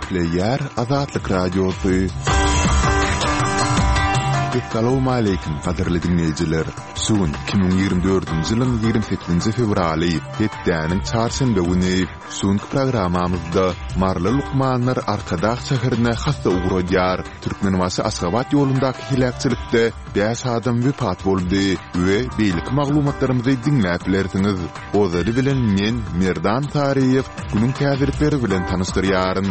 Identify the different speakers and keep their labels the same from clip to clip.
Speaker 1: Gepleýär Azatlyk Radiosy. Essalawmaleýkim, gadyrly diňleýjiler! Şu gün 2024-nji ýylyň 28-nji fewraly, hepdäniň çarşenbe güni. Şu günki programmamyzda maryly lukmanlar Arkadag şäherine hassa ugradýar. Türkmenbaşy-Aşgabat ýolundaky heläkçilikde bäş adam wepat boldy we beýleki maglumatlarymyzy diňläp bilersiňiz. Ozaly bilen men, Merdan Saryýew, günüň täzelikleri bilen tanyşdyrýaryn.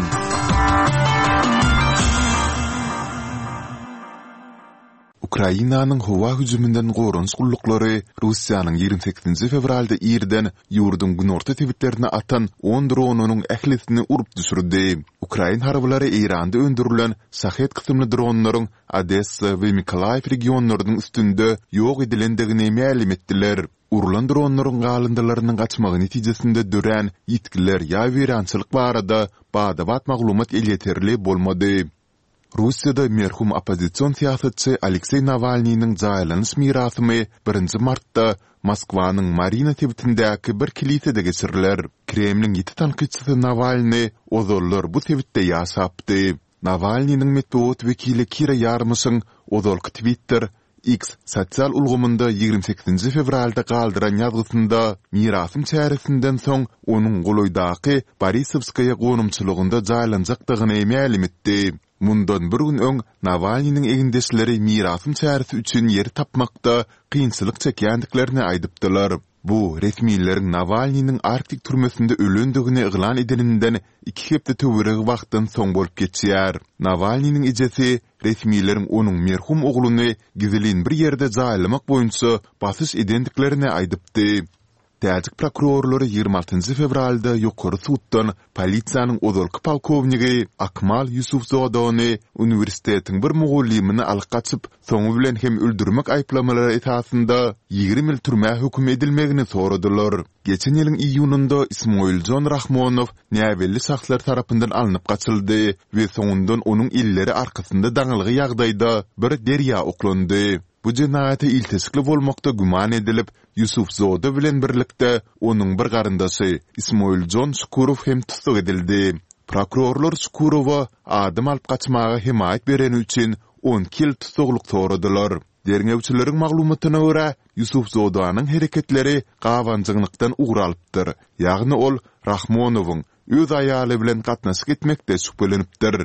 Speaker 1: Ukrainanyň howa hüjüminden goranyş gulluklary Russiýanyň 28-nji fewralda irden ýurduň günorta sebitlerine atan on dronynyň ählisini urup düşürdi. Ukrain harbylary Eýranda öndürilen Şahed kysymly dronlaryň Odessa we Mykolaýiw regionlarynyň üstünde ýok edilendigini mälim etdiler. Urlan dronlaryň galyndylarynyň gaçmagy netijesinde dörän ýitgiler ýa weýrançylyk barada bada-bat maglumat elýeterli bolmady. Russiýada merhum oppozision syýasatçy Alekseý Nawalnynyň jaýlanyş mirasymy birinji martda Moskwanyň Marina sebitindäki bir kilisede geçiriler. Kremliň ýiti tankytçysy Nawalny ozallar bu sebitde ýaşapdy. Nawalnynyň metbugat wekili Kira Ýarmyşyň ozalky Twitter, X, sosial ulgamynda 28-nji fewralda galdyran ýazgysynda mirasym çäresinden soň onuň golaýdaky Borisowskaýa gonamçylygynda jaýlanjakdygyny mälim etdi. Mundan bir gün öň Nawalnynyň egindeşleri mirasym çäresi üçin ýer tapmakda kynçylyk çekýändiklerini aýdypdylar. Bu, resmileriň Nawalnynyň Arktik türmesinde ölendigini yglan edeninden iki hepde töweregi wagtdan soň bolup geçýär. Nawalnynyň ejesi resmileriň onuň merhum ogluny gizlin bir ýerde jaýlamak boýunça basyş edendiklerini aýdypdy. Täjik prokurorlary 26 njy fewralda ýokary suddan polisiýanyň ozalky polkownigi Akmal Ýusufzodany uniwersitetiň bir mugallymyny alyp gaçyp, soňy bilen hem öldürmek aýyplamalary esasynda 20 ýyl türmä höküm edilmegini soradylar. Geçen ýylyň iýunynda Ismoiljon Rahmonow näbelli şahslar tarapyndan alnyp gaçyldy we soňundan onuň elleri arkasynda daňylgy ýagdaýda bir derýa oklandy. Bu jenaýata ilteşikli bolmakda güman edilip, Ýusufzoda bilen birlikde onuň bir garyndaşy Ismoiljon Şukurow hem tussag edildi. Prokurorlar Şukurowa adam alyp gaçmaga hemaýat bereni üçin 12 ýyl tussaglyk soradylar. Derňewçileriň maglumatyna görä, Ýusufzodanyň hereketleri gabanjaňlykdan ugur alypdyr, ýagny ol Rahmonowyň öz aýaly bilen gatnaşyk etmekde şübhelenipdir.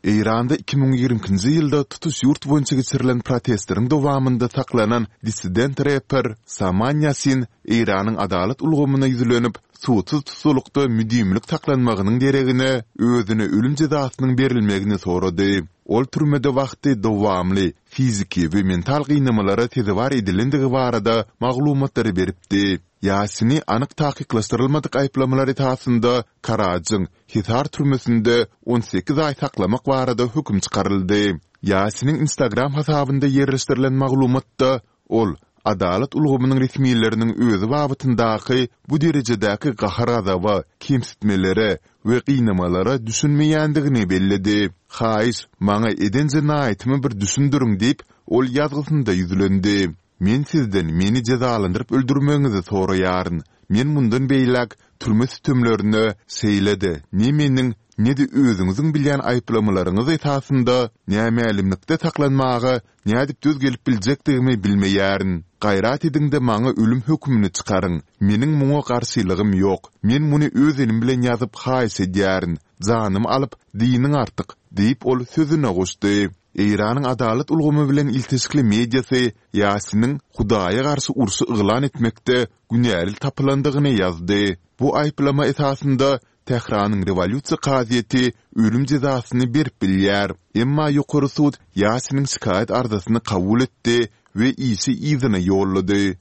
Speaker 1: Eýranda 2022-nji ýylda tutuş ýurt boýunça geçirilen protestleriň dowamynda saklanan dissident reper Saman Ýasin Eýranyň adalat ulgamyna ýüzlenip, sudsyz tussaglykda müdimilik saklanmagynyň deregine özüne ölüm jezasynyň berilmegini sorady. Ol türmede wagty dowamly fiziki we mental gynamalara sezewar edilendigi barada maglumatlary beripdi. Ýasini anyk takyklaşdyrylmadyk aýyplamalar esasynda Karajyň Hisar türmesinde 18 aý saklamak barada höküm çykaryldy. Ýasiniň Instagram hasabynda ýerleşdirilen maglumatda ol adalat ulgamynyň resmileriniň özi babatyndaky bu derejedäki gahar-gazaba, kemsitmelere we gynamalara düşünmeýändigini belledi. Haýyş, maňa eden jenaýatymy bir düşündiriň diýip, ol ýazgysynda ýüzlendi. Men sizden meni jezalandyryp öldürmegiňizi soraýaryn. Men mundan beýläk türme sütemlerine, şeýle-de ne meniň, ne-de özüňiziň bilýän aýyplamalaryňyz esasynda nämälimlikde saklanmaga nädip döz gelip biljekdigimi bilmeýärin. Gaýrat ediň-de maňa ölüm hökümini çykaryň. Meniň muňa garşylygym ýok. Men muny öz elim bilen ýazyp haýyş edýärin. Janymy alyp, dynyň artyk, diýip ol sözüne goşdy. Eýranyň adalat ulgamy bilen ilteşikli mediasy Ýasiniň Hudaýa garşy urşy yglan etmekde günäli tapylandygyny ýazdy. Bu aýyplama esasynda Tähranyň Rewolýusiýa kazyýeti ölüm jezasyny berip bilýär. Emma ýokary sud Ýasiniň şikaýat arzasyny kabul etdi we işi yzyna ýollady.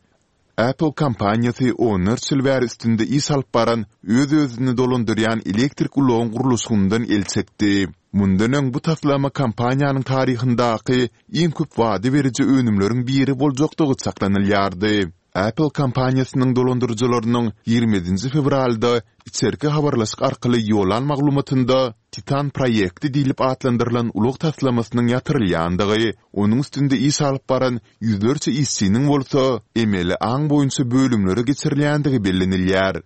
Speaker 1: Apple kompaniýasy onlarça ýyl bäri üstünde iş alyp baran öz-özüni dolandyrýan elektrik ulagyň gurluşygyndan el çekdi. Mundan öň bu taslama kompaniýanyň taryhyndaky iň köp wada beriji önümleriň biri boljakdygy çaklanylýardy. Apple kompaniýasynyň dolandyryjylarynyň 27-nji fewralda içerki habarlaşyk arkaly ýollan maglumatynda Titan proýekti diýlip atlandyrylan ulag taslamasynyň ýatyrylýandygy, onuň üstünde iş alyp baran ýüzlerçe işçiniň bolsa emeli aň boýunça bölümlere geçirilýändigi bellenilýär.